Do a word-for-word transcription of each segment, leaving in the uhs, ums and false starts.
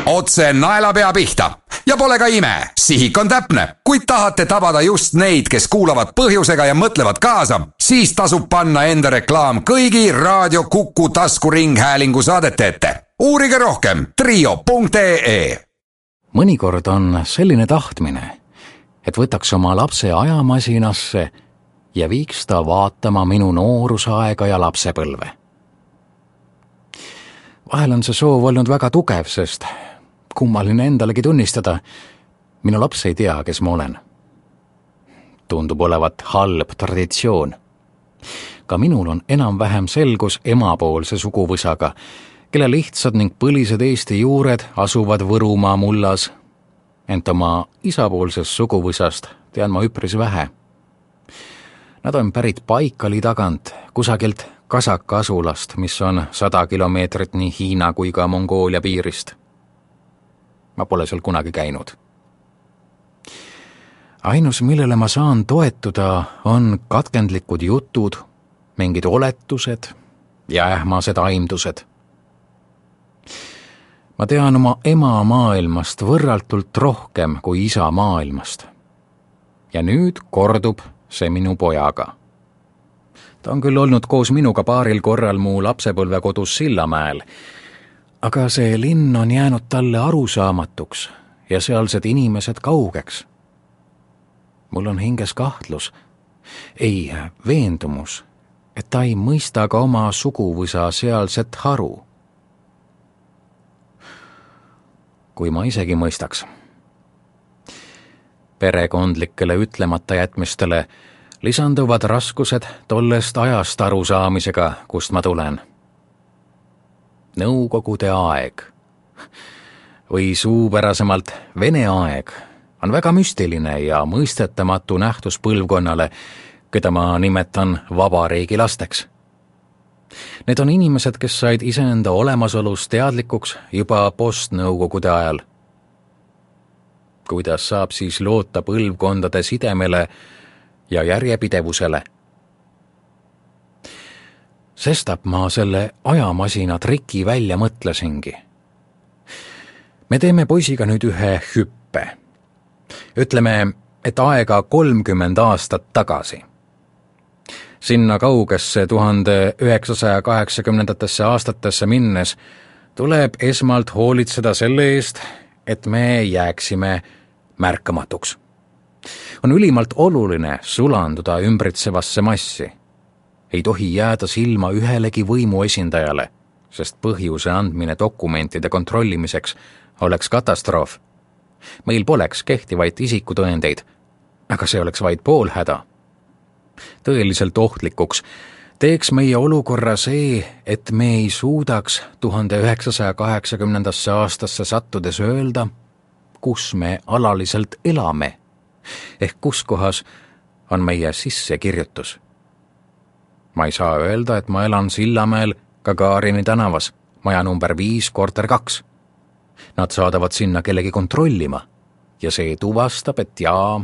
Otse naelapea pihta. Ja pole ka ime, sihik on täpne. Kui tahate tabada just neid, kes kuulavad põhjusega ja mõtlevad kaasa, siis tasub panna enda reklaam kõigi Raadio Kuku taskuringhäälingu saadete ette. Uurige rohkem trio punkt ee. Mõnikord on selline tahtmine, et võtaks oma lapse ajamasinasse ja viiks ta vaatama minu noorusaega ja lapsepõlve. Vahel on see soov olnud väga tugev, sest kummaline endalegi tunnistada, minu laps ei tea, kes ma olen. Tundub olevat halb traditsioon. Ka minul on enam-vähem selgus emapoolse suguvõsaga, kelle lihtsad ning põlised Eesti juured asuvad Võrumaa mullas, ent oma isapoolsest suguvõsast tean ma üpris vähe. Nad on pärit Paikali tagant, kusagilt Kasaka asulast, mis on sada kilomeetrit nii Hiina kui ka Mongoolia piirist. Ma pole seal kunagi käinud. Ainus, millele ma saan toetuda, on katkendlikud jutud, mingid oletused ja ähmased aimdused. Ma tean oma ema maailmast võrraltult rohkem kui isa maailmast. Ja nüüd kordub see minu pojaga. Ta on küll olnud koos minuga paaril korral mu lapsepõlve kodus Sillamäel, aga see linn on jäänud talle arusaamatuks ja sealsed inimesed kaugeks. Mul on hinges kahtlus, ei veendumus, et ta ei mõista ka oma suguvõsa sealset haru. Kui ma isegi mõistaks. Perekondlikele ütlemata jätmistele lisanduvad raskused tollest ajast arusaamisega, kust ma tulen. Nõukogude aeg või suupärasemalt Vene aeg on väga müstiline ja mõistetamatu nähtus põlvkonnale, keda ma nimetan vabariigi lasteks. Need on inimesed, kes said iseenda olemasolus teadlikuks juba postnõukogude ajal. Kuidas saab siis loota põlvkondade sidemele ja järjepidevusele? Sestap ma selle ajamasina triki välja mõtlesingi. Me teeme poisiga nüüd ühe hüppe. Ütleme, et aega kolmkümmend aastat tagasi. Sinna kaugesse tuhande üheksasaja kaheksakümnendatesse aastatesse minnes tuleb esmalt hoolitseda selle eest, et me jääksime märkamatuks. On ülimalt oluline sulanduda ümbritsevasse massi. Ei tohi jääda silma ühelegi võimu esindajale, sest põhjuse andmine dokumentide kontrollimiseks oleks katastroof. Meil poleks kehtivaid isikutõendeid, aga see oleks vaid pool häda. Tõeliselt ohtlikuks teeks meie olukorra see, et me ei suudaks tuhande üheksasaja kaheksakümnendasse aastasse sattudes öelda, kus me alaliselt elame, ehk kus kohas on meie sissekirjutus. Ma ei saa öelda, et ma elan Sillamäel Gagarini tänavas, maja number viis, korter kaks. Nad saadavad sinna kellegi kontrollima ja see tuvastab, et jaa,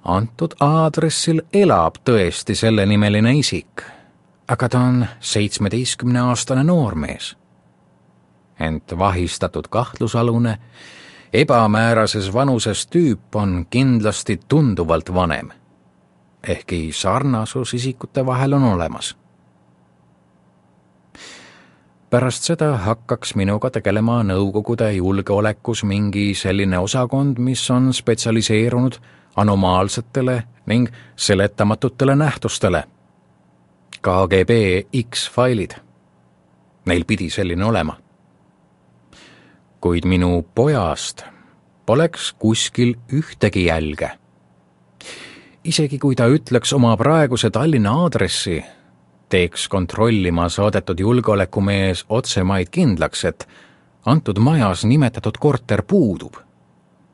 antud aadressil elab tõesti selle nimeline isik, aga ta on seitsmeteistkümneaastane noormees. Ent vahistatud kahtlusalune, ebamäärases vanuses tüüp on kindlasti tunduvalt vanem, ehkki sarnasus isikute vahel on olemas. Pärast seda hakkaks minuga tegelema Nõukogude julgeolekus mingi selline osakond, mis on spetsialiseerunud anomaalsetele ning seletamatutele nähtustele. K G B X-failid. Neil pidi selline olema. Kuid minu pojast poleks kuskil ühtegi jälge. Isegi kui ta ütleks oma praeguse Tallinna aadressi, teeks kontrollima saadetud julgeolekumees otsemaid kindlaks, et antud majas nimetatud korter puudub.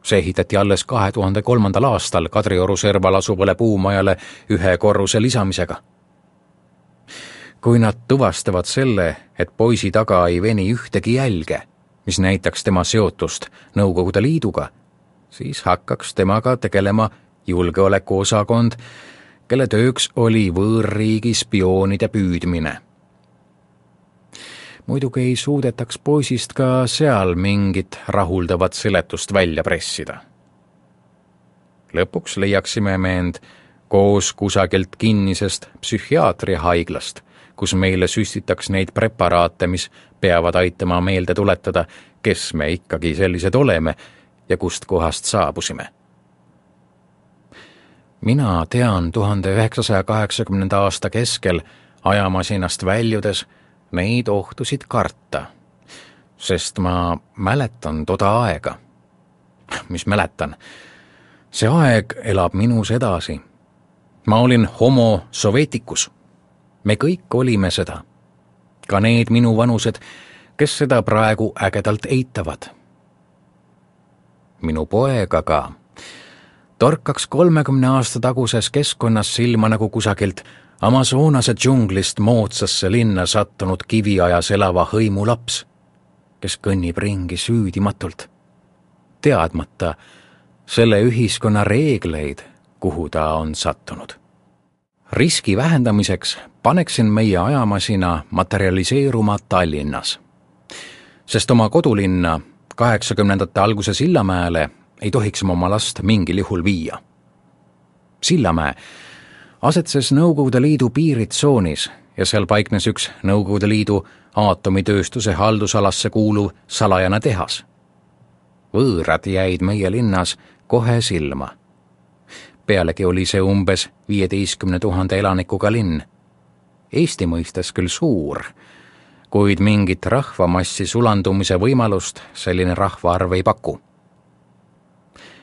See ehitati alles kahe tuhande kolmandal aastal Kadrioru serval asuvale puumajale ühe korruse lisamisega. Kui nad tuvastavad selle, et poisi taga ei veni ühtegi jälge, mis näitaks tema seotust Nõukogude Liiduga, siis hakkaks temaga tegelema julgeolekuosakond, kelle tööks oli võõrriigi spioonide püüdmine. muidugi ei suudetaks poisist ka seal mingit rahuldavat seletust välja pressida. Lõpuks leiaksime me end koos kusagilt kinnisest psühhiaatriahaiglast, kus meile süstitaks neid preparaate, mis peavad aitama meelde tuletada, kes me ikkagi sellised oleme ja kust kohast saabusime. Mina tean tuhande üheksasaja kaheksakümnenda aasta keskel ajamasinast väljudes neid ohtusid karta, sest ma mäletan toda aega. Mis mäletan? See aeg elab minus edasi. Ma olin homo sovetikus. Me kõik olime seda. Ka need minu vanused, kes seda praegu ägedalt eitavad. Minu poeg aga torkaks kolmekümne aasta taguses keskkonnas silma nagu kusagilt Amazonase džunglist moodsasse linna sattunud kiviajas elava hõimu laps, kes kõnnib ringi süüdimatult, teadmata selle ühiskonna reegleid, kuhu ta on sattunud. Riski vähendamiseks paneksin meie ajamasina materialiseeruma Tallinnas, sest oma kodulinna kaheksakümnendate alguse Sillamäele ei tohiks oma last mingil juhul viia. Sillamäe asetses Nõukogude Liidu piiritsoonis ja seal paiknes üks Nõukogude Liidu aatomitööstuse haldusalasse kuuluv salajane tehas. Võõrad jäid meie linnas kohe silma. Pealegi oli see umbes viieteistkümne tuhande elanikuga linn. Eesti mõistes küll suur, kuid mingit rahvamassi sulandumise võimalust selline rahvaarv ei paku.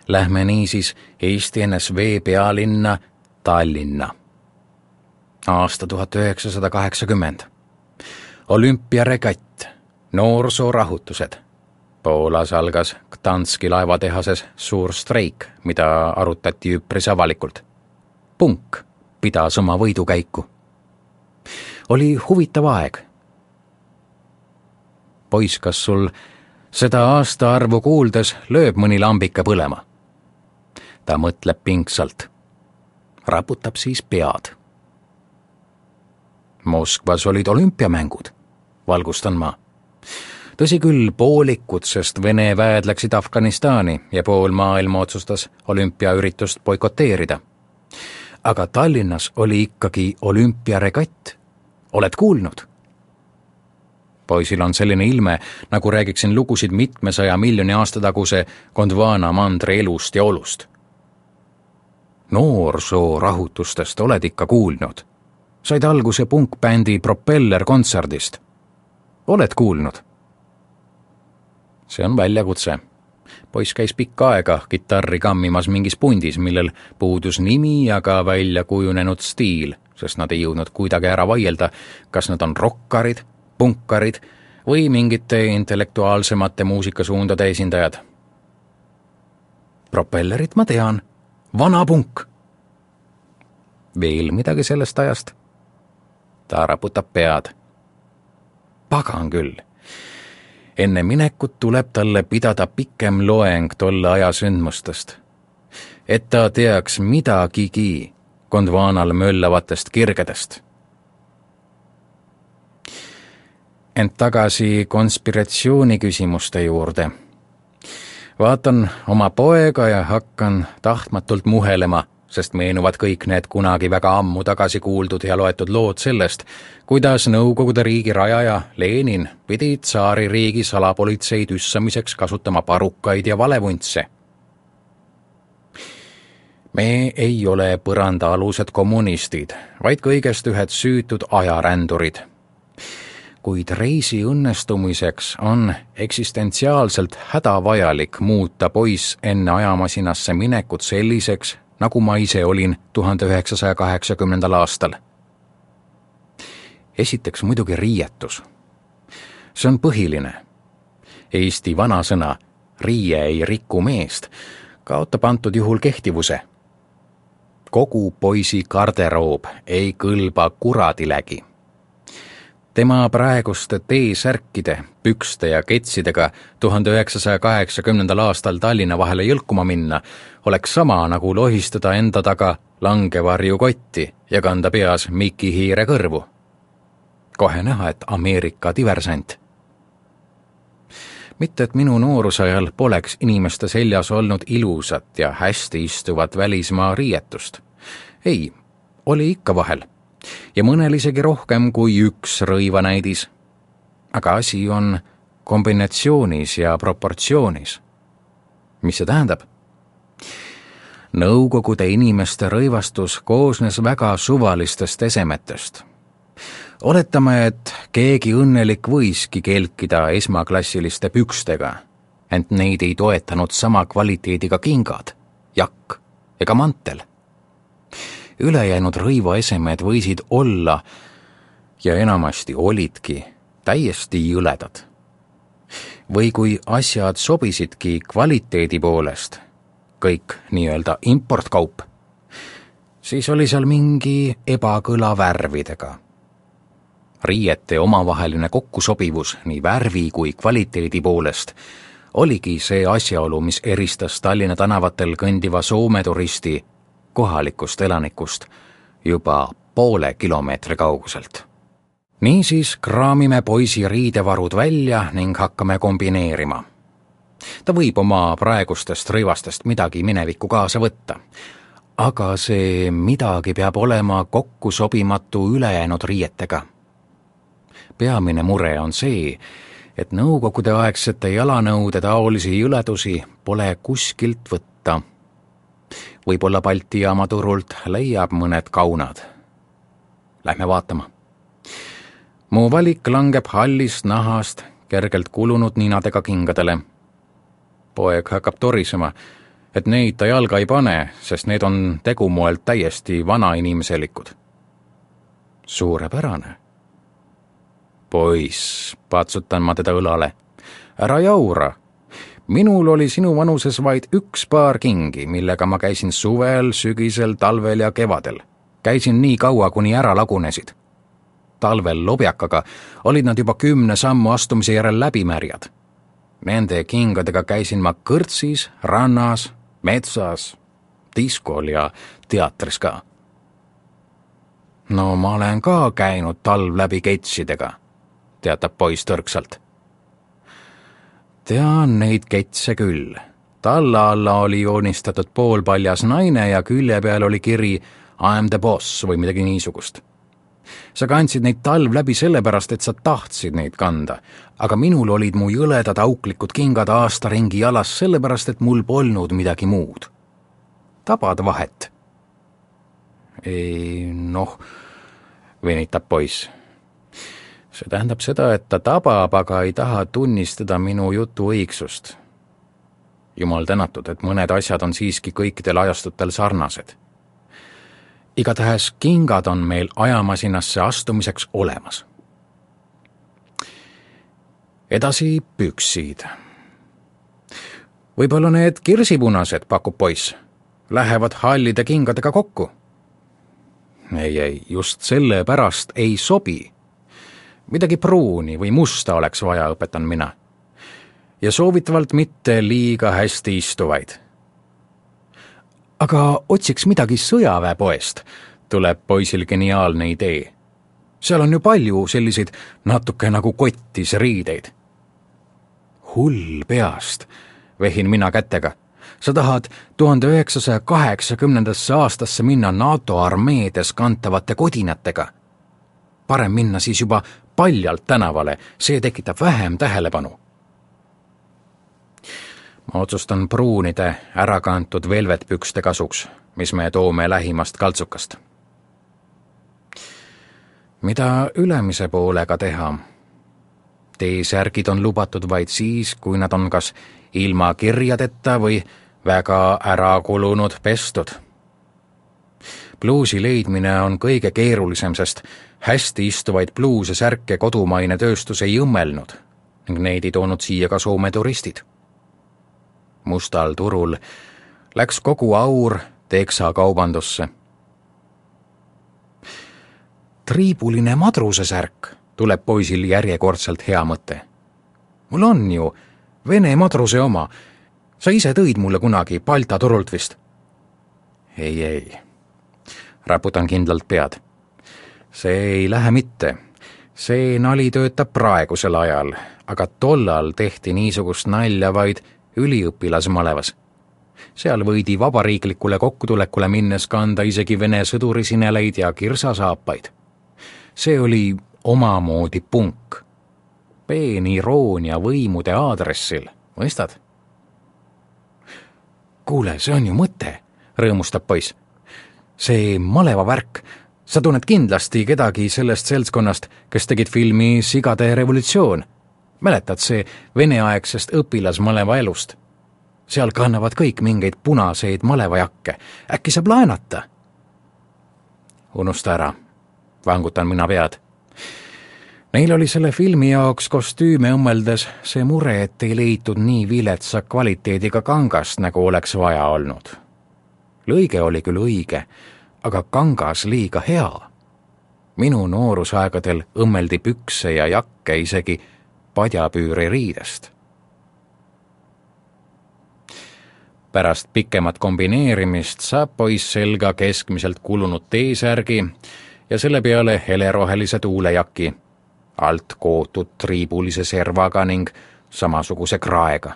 Lähme niisiis Eesti N S V pealinna Tallinna. Aasta tuhat üheksasada kaheksakümmend. Olümpiaregatt, noorsoorahutused. Poolas algas Gdanski laevatehases suur streik, mida arutati üpris avalikult. Punk pidas oma võidukäiku. Oli huvitav aeg. Poiss, kas sul seda aastaarvu kuuldes lööb mõni lambike põlema? Ta mõtleb pingsalt. Raputab siis pead. Moskvas olid olümpiamängud, valgustan ma. Tõsi küll poolikud, sest Vene väed läksid Afganistani ja pool maailma otsustas olümpiaüritust boikoteerida. Aga Tallinnas oli ikkagi olümpiaregatt. Oled kuulnud? Poisil on selline ilme, nagu räägiksin lugusid mitmesaja miljoni aastataguse Gondwana mandri elust ja olust. Noorsoo-rahutustest oled ikka kuulnud. Said alguse punkbändi Propeller kontserdist. Oled kuulnud? See on väljakutse. Poiss käis pikka aega kitarri kammimas mingis pundis, millel puudus nimi ja ka välja kujunenud stiil, sest nad ei jõudnud kuidagi ära vaielda, kas nad on rokkarid, punkarid või mingite intellektuaalsemate muusikasuundade esindajad. Propellerit ma tean. Vana punk. Veel midagi sellest ajast? Ta raputab pead. Pagan küll. Enne minekut tuleb talle pidada pikem loeng tolle aja sündmustest, et ta teaks midagigi Gondwanal möllavatest kirgedest. Ent tagasi konspiratsiooni küsimuste juurde. Vaatan oma poega ja hakkan tahtmatult muhelema, sest meenuvad kõik need kunagi väga ammu tagasi kuuldud ja loetud lood sellest, kuidas Nõukogude riigi rajaja Lenin pidi tsaari riigi salapolitsei tüssamiseks kasutama parukaid ja valevuntse. Me ei ole põrandaalused kommunistid, vaid kõigest ühed süütud ajarändurid. Kuid reisi õnnestumiseks on eksistentsiaalselt hädavajalik muuta poiss enne ajamasinasse minekut selliseks, nagu ma ise olin tuhande üheksasaja kaheksakümnendal aastal. Esiteks muidugi riietus. See on põhiline. Eesti vanasõna riie ei riku meest kaotab antud juhul kehtivuse. Kogu poisi garderoob ei kõlba kuradilägi. Tema praeguste T-särkide, pükste ja ketsidega tuhande üheksasaja kaheksakümnendal aastal Tallinna vahele jõlkuma minna oleks sama nagu lohistada enda taga langevarju kotti ja kanda peas Miki Hiire kõrvu. kohe näha, et Ameerika diversant. Mitte, et minu noorusajal poleks inimeste seljas olnud ilusat ja hästi istuvat välismaa riietust. Ei, oli ikka vahel. Ja mõnel isegi rohkem kui üks rõivanäidis. Aga asi on kombinatsioonis ja proportsioonis. Mis see tähendab? Nõukogude inimeste rõivastus koosnes väga suvalistest esemetest. Oletame, et keegi õnnelik võiski kelkida esmaklassiliste pükstega, ent neid ei toetanud sama kvaliteediga kingad, jakk ega mantel. Ülejäänud rõivaesemed võisid olla ja enamasti olidki täiesti jõledad. Või kui asjad sobisidki kvaliteedi poolest, kõik nii-öelda importkaup, siis oli seal mingi ebakõla värvidega. Riiete omavaheline kokkusobivus nii värvi kui kvaliteedi poolest oligi see asjaolu, mis eristas Tallinna tänavatel kõndiva Soome turisti kohalikust elanikust juba poole kilomeetri kauguselt. Niisiis kraamime poisi riidevarud välja ning hakkame kombineerima. Ta võib oma praegustest rõivastest midagi minevikku kaasa võtta, aga see midagi peab olema kokku sobimatu ülejäänud riietega. Peamine mure on see, et nõukogude aegsete jalanõude taolisi jõledusi pole kuskilt võtta. Võib-olla Balti jaama turult leiab mõned kaunad. Lähme vaatama. Mu valik langeb hallist nahast kergelt kulunud ninadega kingadele. Poeg hakkab torisema, et neid ta jalga ei pane, sest need on tegumoelt täiesti vanainimeselikud. Suurepärane. Poiss, patsutan ma teda õlale. Ära jaura. Minul oli sinu vanuses vaid üks paar kingi, millega ma käisin suvel, sügisel, talvel ja kevadel. Käisin nii kaua, kuni ära lagunesid. Talvel lobjakaga olid nad juba kümne sammu astumise järel läbimärjad. Nende kingadega käisin ma kõrtsis, rannas, metsas, diskol ja teatris ka. No ma olen ka käinud talv läbi ketsidega, teatab poiss tõrksalt. Tean neid ketse küll. Talla alla oli joonistatud poolpaljas naine ja külje peal oli kiri I am the boss või midagi niisugust. Sa kandsid neid talv läbi sellepärast, et sa tahtsid neid kanda, aga minul olid mu jõledad auklikud kingad aasta ringi jalas sellepärast, et mul polnud midagi muud. Tabad vahet? Ei, noh, venitab poiss. See tähendab seda, et ta tabab, aga ei taha tunnistada minu jutu õigsust. Jumal tänatud, et mõned asjad on siiski kõikidel ajastutel sarnased. Igatahes kingad on meil ajamasinasse astumiseks olemas. Edasi püksid. Võib-olla need kirsipunased, pakub poiss, lähevad hallide kingadega kokku. Ei, ei, just selle pärast ei sobi. Midagi pruuni või musta oleks vaja, õpetan mina. Ja soovitavalt mitte liiga hästi istuvaid. Aga otsiks midagi sõjaväepoest, tuleb poisil geniaalne idee. Seal on ju palju selliseid natuke nagu kottis riideid. Hull peast, vehin mina kätega. Sa tahad tuhande üheksasaja kaheksakümnendasse aastasse minna NATO armeedes kantavate kodinatega. Parem minna siis juba paljalt tänavale, see tekitab vähem tähelepanu. Ma otsustan pruunide ärakantud velvetpükste kasuks, mis me toome lähimast kaltsukast. Mida ülemise poolega teha? T-särgid on lubatud vaid siis, kui nad on kas ilma kirjadeta või väga ära kulunud pestud. Bluusi leidmine on kõige keerulisem, sest hästi istuvaid bluuse särke kodumaine tööstus ei õmmelnud ning neid ei toonud siia ka Soome turistid. Mustal turul läks kogu aur teksa kaubandusse. Triibuline madruse särk, tuleb poisil järjekordselt hea mõte. Mul on ju Vene madruse oma. Sa ise tõid mulle kunagi Balta turult vist. Ei, ei. Raputan kindlalt pead. See ei lähe mitte. See nali töötab praegusel ajal, aga tollal tehti niisugust nalja vaid üliõpilasmalevas. Seal võidi vabariiklikule kokkutulekule minnes kanda isegi Vene sõdurisineleid ja kirsasaapaid. See oli omamoodi punk. Peen iroonia võimude aadressil, mõistad? Kuule, see on ju mõte, rõõmustab poiss. See maleva värk, sa tunned kindlasti kedagi sellest seltskonnast, kes tegid filmi Sigade revolutsioon. Mäletad see veneaegsest õpilasmaleva elust? Seal kannavad kõik mingeid punaseid malevajakke. Äkki saab laenata? Unusta ära, vangutan mina pead. Neil oli selle filmi jaoks kostüüme õmmeldes see mure, et ei leitud nii viletsa kvaliteediga kangast, nagu oleks vaja olnud. Lõige oli küll õige, aga kangas liiga hea. Minu noorusaegadel õmmeldi pükse ja jakke isegi padjapüüri riidest. Pärast pikemat kombineerimist saab poiss selga keskmiselt kulunud T-särgi ja selle peale helerohelise tuulejaki, alt kootud triibulise servaga ning samasuguse kraega.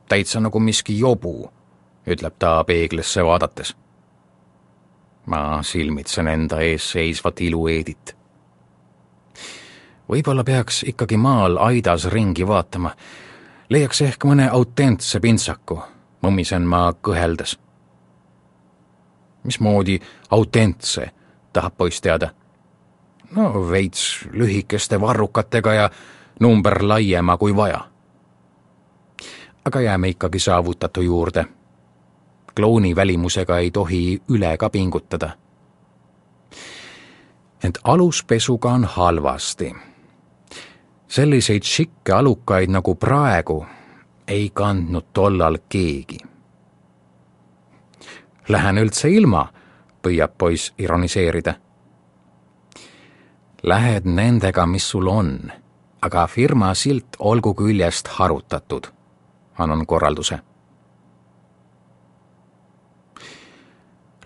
Täitsa nagu miski jobu, ütleb ta peeglisse vaadates. Ma silmitsen enda ees seisvat ilueedit. Võib-olla peaks ikkagi maal aidas ringi vaatama. Leiaks ehk mõne autentse pintsaku, mõmmisen ma kõheldes. Mismoodi autentse, tahab poiss teada? No veits lühikeste varrukatega ja number laiema kui vaja. Aga jääme ikkagi saavutatu juurde. Klooni välimusega ei tohi üle ka pingutada. Ent aluspesuga on halvasti. Selliseid šikke alukaid nagu praegu ei kandnud tollal keegi. Lähen üldse ilma, püüab poiss ironiseerida. Lähed nendega, mis sul on, aga firma silt olgu küljest harutatud, annan korralduse.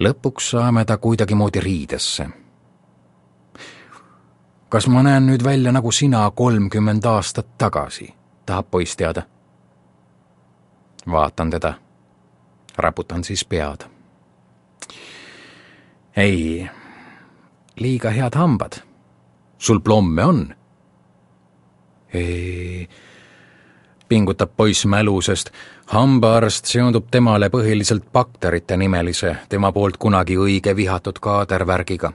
Lõpuks saame ta kuidagi moodi riidesse. Kas ma näen nüüd välja nagu sina kolmkümmend aastat tagasi, tahab poiss teada? Vaatan teda. Raputan siis pead. Ei, liiga head hambad. Sul plomme on? Ei, pingutab poiss mälu, sest hambaarst seondub temale põhiliselt bakterite nimelise, tema poolt kunagi õige vihatud kaadervärgiga.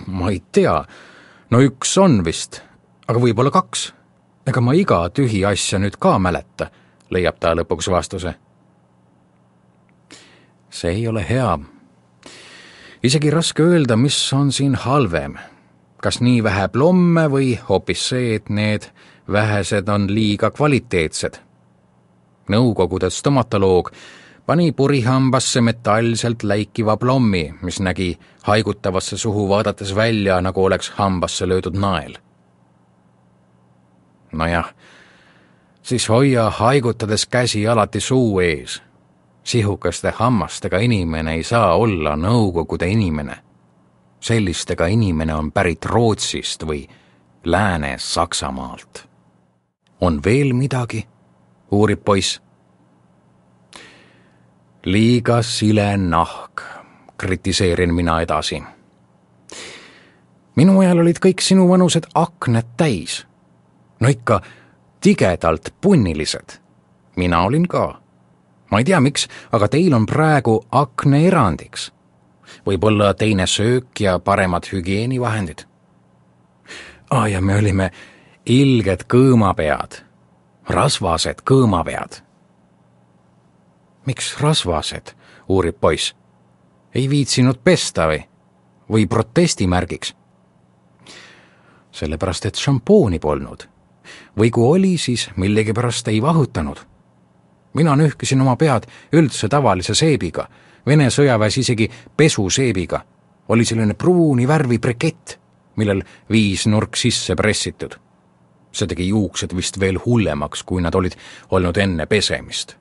Ma ei tea, no üks on vist, aga võib-olla kaks. Ega ma iga tühi asja nüüd ka mäleta, leiab ta lõpuks vastuse. See ei ole hea. Isegi raske öelda, mis on siin halvem. Kas nii vähe plomme või hoopis see, et need vähesed on liiga kvaliteetsed. Nõukogude stomatoloog pani purihambasse metallselt läikiva plommi, mis nägi haigutavasse suhu vaadates välja, nagu oleks hambasse löödud nael. Nojah, siis hoia haigutades käsi alati suu ees. Sihukaste hammastega inimene ei saa olla Nõukogude inimene. Sellistega inimene on pärit Rootsist või Lääne-Saksamaalt. On veel midagi? Uurib poiss. Liiga sile nahk, kritiseerin mina edasi. Minu ajal olid kõik sinu vanused akned täis. No ikka tigedalt punnilised. Mina olin ka. Ma ei tea miks, aga teil on praegu akne erandiks. Võib-olla teine söök ja paremad hügieenivahendid. Ah, ja me olime ilged kõõmapead. Rasvased kõõmapead. Miks rasvased, uurib poiss. Ei viitsinud pesta või? Või protestimärgiks? Sellepärast, et šampooni polnud. Või kui oli, siis millegipärast ei vahutanud. Mina nühkisin oma pead üldse tavalise seebiga, Vene sõjaväes isegi pesuseebiga. Oli selline pruuni värvi brekett, millel viis nurk sisse pressitud. See tegi juuksed vist veel hullemaks, kui nad olid olnud enne pesemist.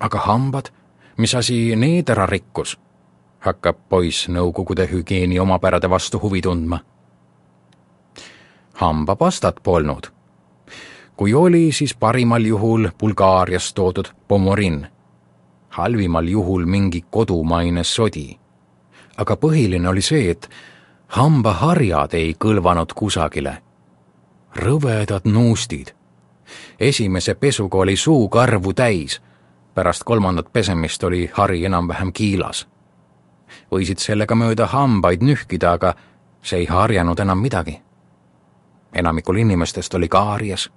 Aga hambad, mis asi need ära rikkus? hakkab poiss Nõukogude hügieeni omapärade vastu huvi tundma. Hambapastat polnud. Kui oli, siis parimal juhul Bulgaariast toodud pomorin, halvimal juhul mingi kodumaine sodi. Aga põhiline oli see, et hambaharjad ei kõlvanud kusagile. Rõvedad nuustid. Esimese pesuga oli suu karvu täis, pärast kolmandat pesemist oli hari enam-vähem kiilas. Võisid sellega mööda hambaid nühkida, aga see ei harjanud enam midagi. Enamikul inimestest oli kaaries.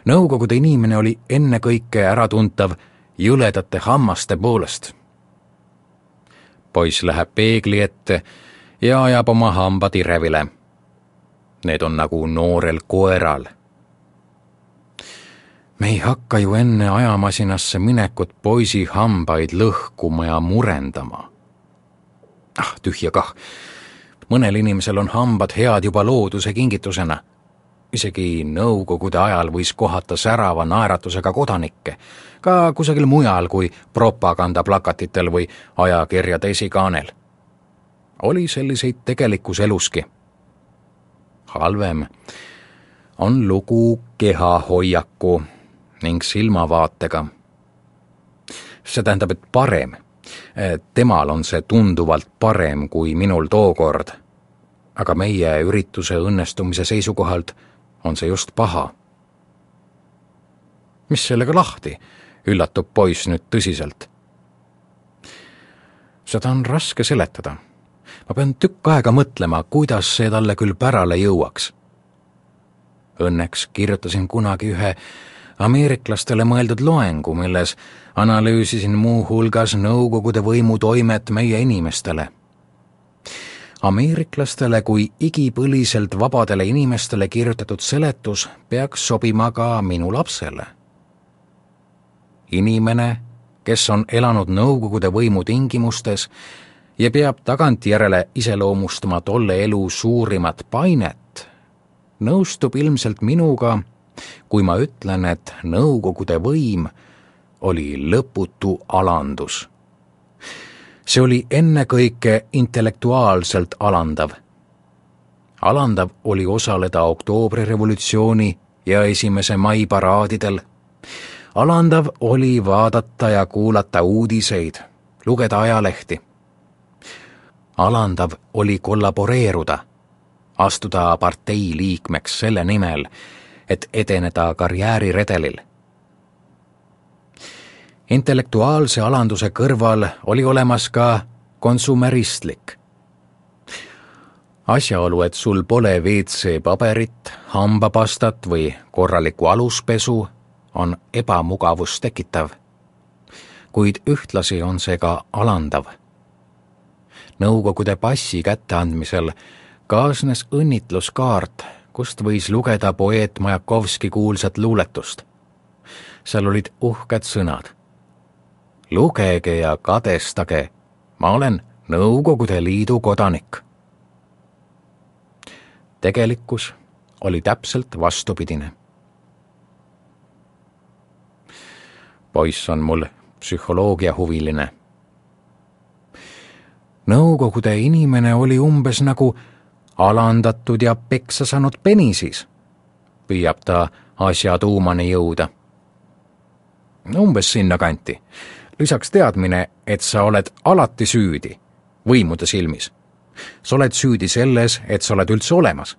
Nõukogude inimene oli ennekõike äratuntav jõledate hammaste poolest. Poiss läheb peegli ette ja ajab oma hambad irevile. Need on nagu noorel koeral. Me ei hakka ju enne ajamasinasse minekut poisi hambaid lõhkuma ja murendama. Ah, tühja kah. Mõnel inimesel on hambad head juba looduse kingitusena. Isegi Nõukogude ajal võis kohata särava naeratusega kodanikke, ka kusagil mujal kui propagandaplakatitel või ajakirjade esikaanel. Oli selliseid tegelikus eluski. Halvem on lugu kehahoiaku ning silmavaatega. See tähendab, et parem. Temal on see tunduvalt parem kui minul tookord. Aga meie ürituse õnnestumise seisukohalt on see just paha. Mis sellega lahti? Üllatub poiss nüüd tõsiselt. Seda on raske seletada. Ma pean tükk aega mõtlema, kuidas see talle küll pärale jõuaks. Õnneks kirjutasin kunagi ühe ameeriklastele mõeldud loengu, milles analüüsisin muu hulgas Nõukogude võimu toimet meie inimestele. Ameeriklastele kui igipõliselt vabadele inimestele kirjutatud seletus peaks sobima ka minu lapsele. Inimene, kes on elanud Nõukogude võimu tingimustes ja peab tagantjärele iseloomustama tolle elu suurimat painet, nõustub ilmselt minuga, kui ma ütlen, et Nõukogude võim oli lõputu alandus. See oli ennekõike intellektuaalselt alandav. Alandav oli osaleda oktoobrirevolutsiooni ja esimese mai paraadidel. Alandav oli vaadata ja kuulata uudiseid, lugeda ajalehti. Alandav oli kollaboreeruda, astuda partei liikmeks selle nimel, et edeneda karjääriredelil. Intellektuaalse alanduse kõrval oli olemas ka konsumeristlik. Asjaolu, et sul pole V C paberit, hambapastat või korralikku aluspesu, on ebamugavust tekitav. Kuid ühtlasi on see ka alandav. Nõukogude passi kätteandmisel kaasnes õnnitluskaart, kust võis lugeda poeet Majakovski kuulsat luuletust. Seal olid uhked sõnad. Lugege ja kadestage, ma olen Nõukogude Liidu kodanik. Tegelikkus oli täpselt vastupidine. Poiss on mul psühholoogia huviline. Nõukogude inimene oli umbes nagu alandatud ja peksa saanud penisis, püüab ta asja tuumani jõuda. Umbes sinna kanti. Lisaks teadmine, et sa oled alati süüdi, võimude silmis. Sa oled süüdi selles, et sa oled üldse olemas.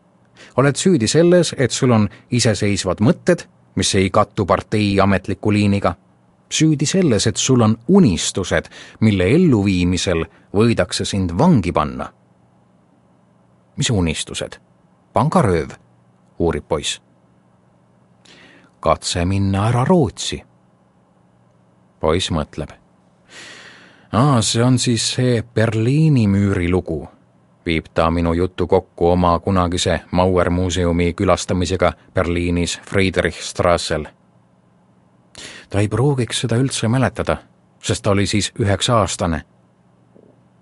Oled süüdi selles, et sul on iseseisvad mõtted, mis ei kattu partei ametliku liiniga. Süüdi selles, et sul on unistused, mille elluviimisel võidakse sind vangi panna. Mis unistused? Pangarööv, uurib poiss. Katse minna ära Rootsi. Poiss mõtleb. Aa, see on siis see Berliini müüri lugu, viib ta minu juttu kokku oma kunagise Mauer muuseumi külastamisega Berliinis Friedrichstrassel. Ta ei pruugiks seda üldse mäletada, sest ta oli siis üheksa aastane.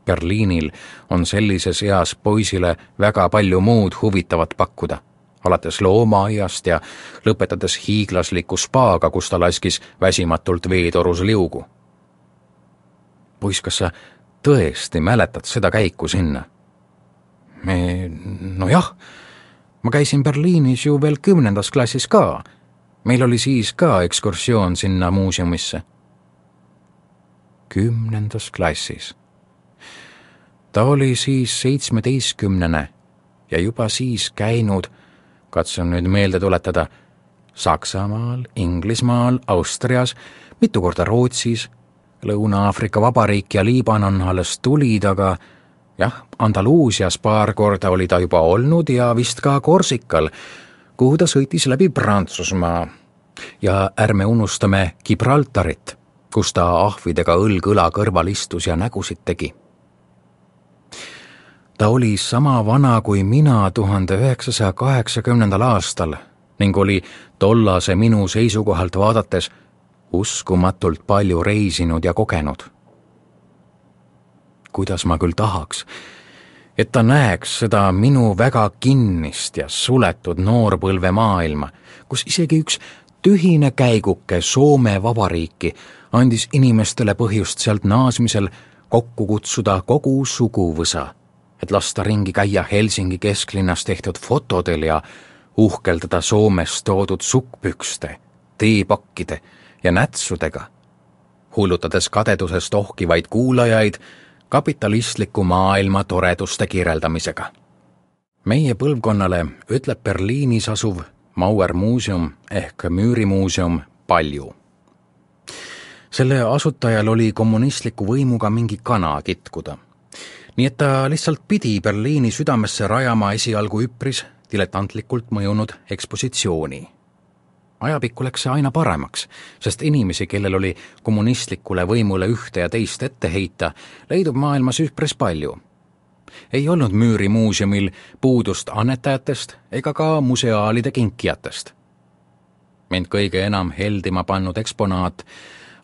Berliinil on sellises eas poisile väga palju muud huvitavat pakkuda, alates loomaaiast ja lõpetades hiiglasliku spaaga, kus ta laskis väsimatult veetorus liugu. Poiss, kas sa tõesti mäletad seda käiku sinna? Me, no jah, ma käisin Berliinis ju veel kümnendas klassis ka. Meil oli siis ka ekskursioon sinna muuseumisse. Kümnendas klassis. Ta oli siis seitsmeteistkümnene ja juba siis käinud, katsun nüüd meelde tuletada, Saksamaal, Inglismaal, Austrias, mitu korda Rootsis, Lõuna-Aafrika Vabariik ja Liibanon alles tulid, aga jah, Andaluusias paar korda oli ta juba olnud ja vist ka Korsikal, kuhu ta sõitis läbi Prantsusmaa. Ja ärme unustame Gibraltarit, kus ta ahvidega õlg-õla kõrval istus ja nägusid tegi. Ta oli sama vana kui mina tuhande üheksasaja kaheksakümnendal aastal ning oli tollase minu seisukohalt vaadates uskumatult palju reisinud ja kogenud. Kuidas ma küll tahaks, et ta näeks seda minu väga kinnist ja suletud noorpõlve maailma, kus isegi üks tühine käiguke Soome Vabariiki andis inimestele põhjust sealt naasmisel kokku kutsuda kogu suguvõsa, et lasta ringi käia Helsingi kesklinnas tehtud fotodel ja uhkeldada Soomest toodud sukkpükste, teepakkide ja nätsudega, hullutades kadedusest ohkivaid kuulajaid kapitalistliku maailma toreduste kirjeldamisega. Meie põlvkonnale ütleb Berliinis asuv Mauer muuseum ehk Müürimuuseum palju. Selle asutajal oli kommunistliku võimuga mingi kana kitkuda. Nii et ta lihtsalt pidi Berliini südamesse rajama esialgu üpris diletantlikult mõjunud ekspositsiooni. Ajapikku läks see aina paremaks, sest inimesi, kellel oli kommunistlikule võimule ühte ja teist ette heita, leidub maailmas üpris palju. Ei olnud Müürimuuseumil puudust annetajatest ega ka museaalide kinkijatest. Mind kõige enam heldima pannud eksponaat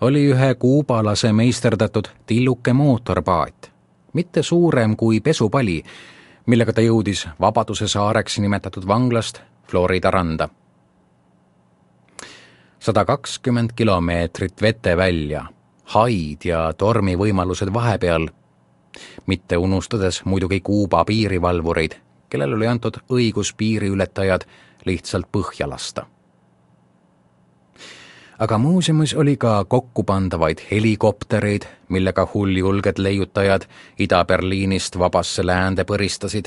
oli ühe kuubalase meisterdatud tilluke mootorpaat, mitte suurem kui pesupali, millega ta jõudis Vabaduse saareks nimetatud vanglast Florida randa. sada kakskümmend kilomeetrit vete välja, haid ja tormi võimalused vahepeal, mitte unustades muidugi Kuuba piirivalvureid, kellel oli antud õigus piiriületajad lihtsalt põhja lasta. Aga muuseumis oli ka kokkupandavaid helikoptereid, millega hulljulged leiutajad Ida-Berliinist vabasse läände põristasid.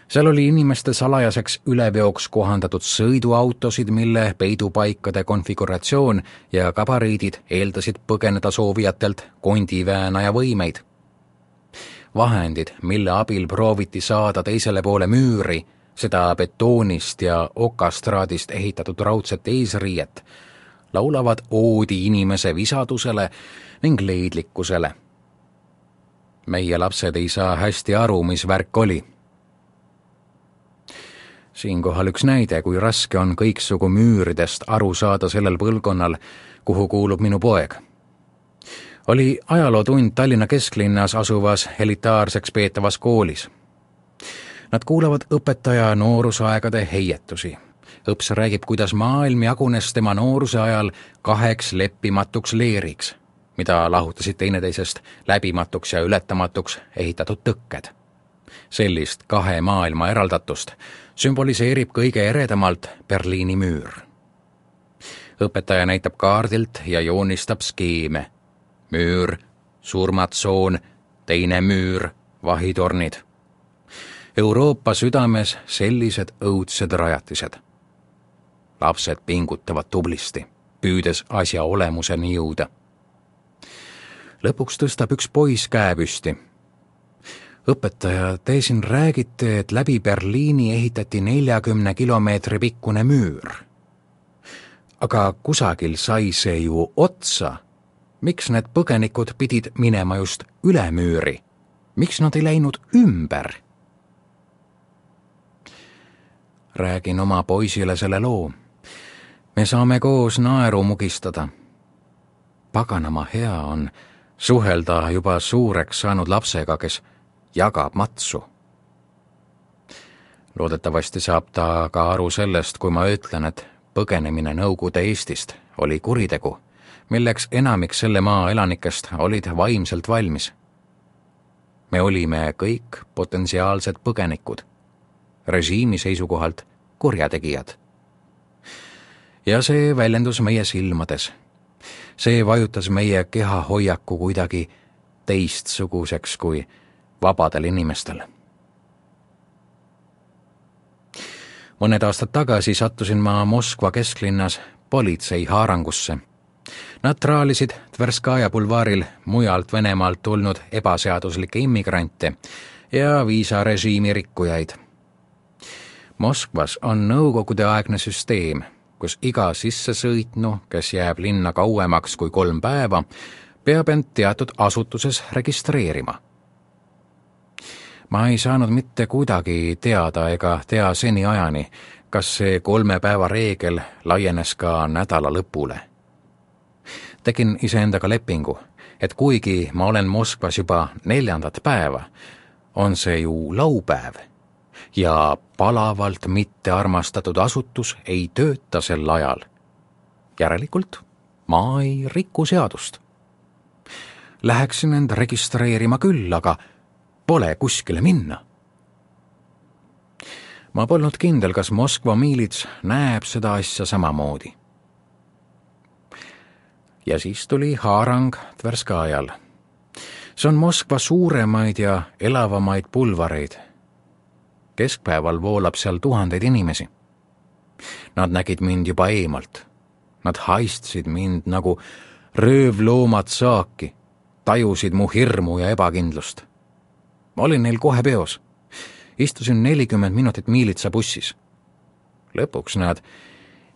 Seal oli inimeste salajaseks üleveoks kohandatud sõiduautosid, mille peidupaikade konfiguratsioon ja gabariidid eeldasid põgeneda soovijatelt kondiväänaja võimeid. Vahendid, mille abil prooviti saada teisele poole müüri, seda betoonist ja okastraadist ehitatud raudset eesriiet, laulavad oodi inimese visadusele ning leidlikkusele. Meie lapsed ei saa hästi aru, mis värk oli. Siinkohal üks näide, kui raske on kõiksugu müüridest aru saada sellel põlvkonnal, kuhu kuulub minu poeg. Oli ajalootund Tallinna kesklinnas asuvas elitaarseks peetavas koolis. Nad kuulavad õpetaja noorusaegade heietusi. Õps räägib, kuidas maailm jagunes tema nooruse ajal kaheks leppimatuks leeriks, mida lahutasid teineteisest läbimatuks ja ületamatuks ehitatud tõkked. Sellist kahe maailma eraldatust sümboliseerib kõige eredamalt Berliini müür. Õpetaja näitab kaardilt ja joonistab skeeme. Müür, surmatsoon, teine müür, vahitornid. Euroopa südames sellised õudsed rajatised. Lapsed pingutavad tublisti, püüdes asja olemuseni jõuda. Lõpuks tõstab üks poiss käe püsti. Õpetaja, te siin räägite, et läbi Berliini ehitati neljakümne kilomeetri pikkune müür. Aga kusagil sai see ju otsa. Miks need põgenikud pidid minema just üle müüri? Miks nad ei läinud ümber? Räägin oma poisile selle loo. Me saame koos naeru mugistada. Paganama hea on suhelda juba suureks saanud lapsega, kes jagab matsu. Loodetavasti saab ta ka aru sellest, kui ma ütlen, et põgenemine Nõukogude Eestist oli kuritegu, milleks enamik selle maa elanikest olid vaimselt valmis. me olime kõik potentsiaalsed põgenikud, režiimi seisukohalt kurjategijad. Ja see väljendus meie silmades. See vajutas meie kehahoiaku kuidagi teistsuguseks kui vabadel inimestel. Mõned aastad tagasi sattusin ma Moskva kesklinnas politsei haarangusse. Nad traalisid Tverskaja bulvaaril mujalt Venemaalt tulnud ebaseaduslikke immigrante ja viisarežiimi rikkujaid. Moskvas on nõukogude aegne süsteem, kus iga sisse sõitnu, kes jääb linna kauemaks kui kolm päeva, peab end teatud asutuses registreerima. Ma ei saanud mitte kuidagi teada ega tea seni ajani, kas see kolme päeva reegel laienes ka nädala lõpule. Tegin iseendaga lepingu, et kuigi ma olen Moskvas juba neljandat päeva, on see ju laupäev ja palavalt mitte armastatud asutus ei tööta sel ajal. Järelikult ma ei riku seadust. Läheksin end registreerima küll, aga pole kuskile minna. Ma polnud kindel, kas Moskva miilits näeb seda asja samamoodi. Ja siis tuli haarang Tverskajal. See on Moskva suuremaid ja elavamaid pulvareid. Keskpäeval voolab seal tuhandeid inimesi. Nad nägid mind juba eemalt. Nad haistsid mind nagu röövloomad saaki, tajusid mu hirmu ja ebakindlust. Ma olin neil kohe peos. Istusin nelikümmend minutit miilitsa bussis. Lõpuks nad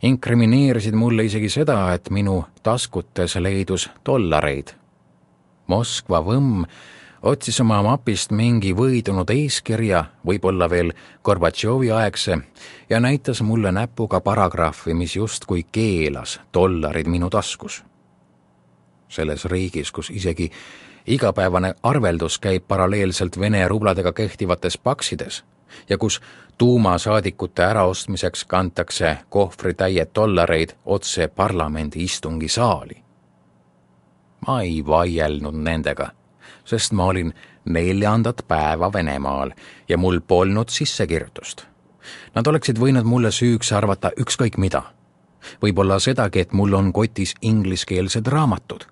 inkrimineerisid mulle isegi seda, et minu taskutes leidus dollareid. Moskva võmm otsis oma mapist mingi võidunud eeskirja, võib-olla veel Gorbatšovi aegse, ja näitas mulle näpuga paragrahvi, mis justkui keelas dollarid minu taskus. Selles riigis, kus isegi igapäevane arveldus käib paralleelselt Vene rubladega kehtivates paksides ja kus tuumasaadikute äraostmiseks kantakse kohvritäied dollareid otse parlamendi istungi saali. Ma ei vaielnud nendega, sest ma olin neljandat päeva Venemaal ja mul polnud sissekirjutust. Nad oleksid võinud mulle süüks arvata ükskõik mida. Võib-olla sedagi, et mul on kotis ingliskeelsed raamatud.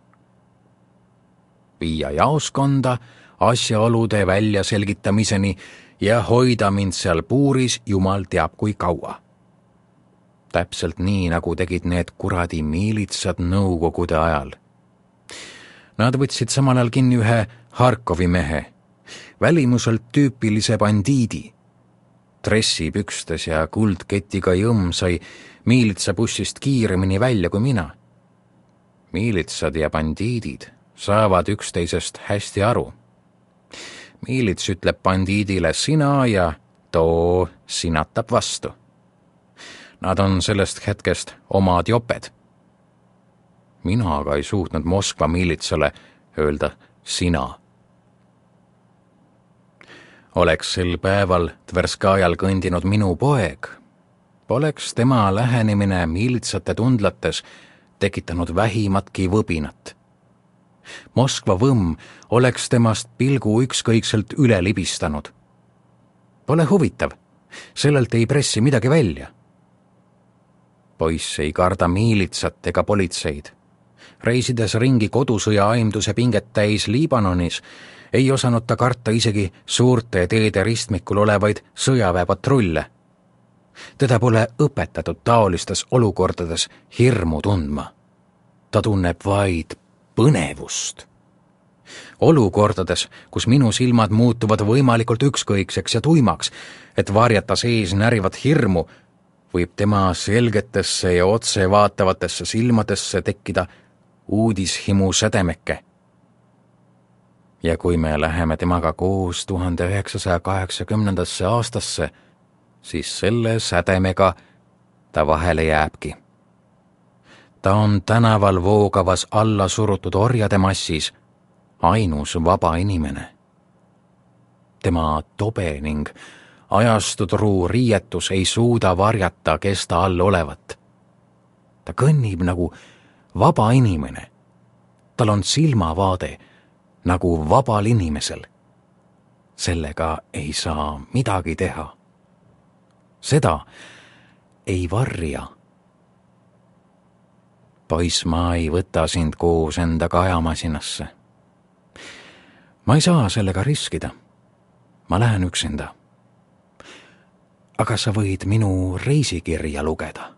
Viia jaoskonda asjaolude välja selgitamiseni ja hoida mind seal puuris jumal teab kui kaua. Täpselt nii, nagu tegid need kuradi miilitsad nõukogude ajal. Nad võtsid samal ajal kinni ühe Harkovi mehe, välimuselt tüüpilise bandiidi. Dressipükstes ja kuldketiga jõmm sai miilitsa bussist kiiremini välja kui mina. Miilitsad ja bandiidid saavad üksteisest hästi aru. Miilits ütleb bandiidile sina ja too sinatab vastu. Nad on sellest hetkest omad joped. Mina aga ei suutnud Moskva miilitsale öelda sina. Oleks sel päeval Tverskajal kõndinud minu poeg, poleks tema lähenemine miilitsate tundlates tekitanud vähimatki võbinat. Moskva võmm oleks temast pilgu ükskõikselt üle libistanud. Pole huvitav, sellelt ei pressi midagi välja. Poiss ei karda miilitsat ega politseid. Reisides ringi kodusõja aimduse pinget täis Liibanonis, ei osanud ta karta isegi suurte teede ristmikul olevaid sõjaväepatrulle. Teda pole õpetatud taolistes olukordades hirmu tundma. Ta tunneb vaid põnevust. Olukordades, kus minu silmad muutuvad võimalikult ükskõikseks ja tuimaks, et varjata sees närivat hirmu, võib tema selgetesse ja otse vaatavatesse silmadesse tekkida uudishimu sädemeke. Ja kui me läheme temaga koos tuhande üheksasaja kaheksakümnendasse aastasse, siis selle sädemega ta vahele jääbki. Ta on tänaval voogavas alla surutud orjade massis ainus vaba inimene. Tema tobe ning ajastudruu riietus ei suuda varjata, kes ta all olevat. Ta kõnnib nagu vaba inimene. Tal on silmavaade nagu vabal inimesel. sellega ei saa midagi teha. Seda ei varja. Poiss, ma ei võta sind koos endaga ajamasinasse. Ma ei saa sellega riskida. Ma lähen üksinda. Aga sa võid minu reisikirja lugeda.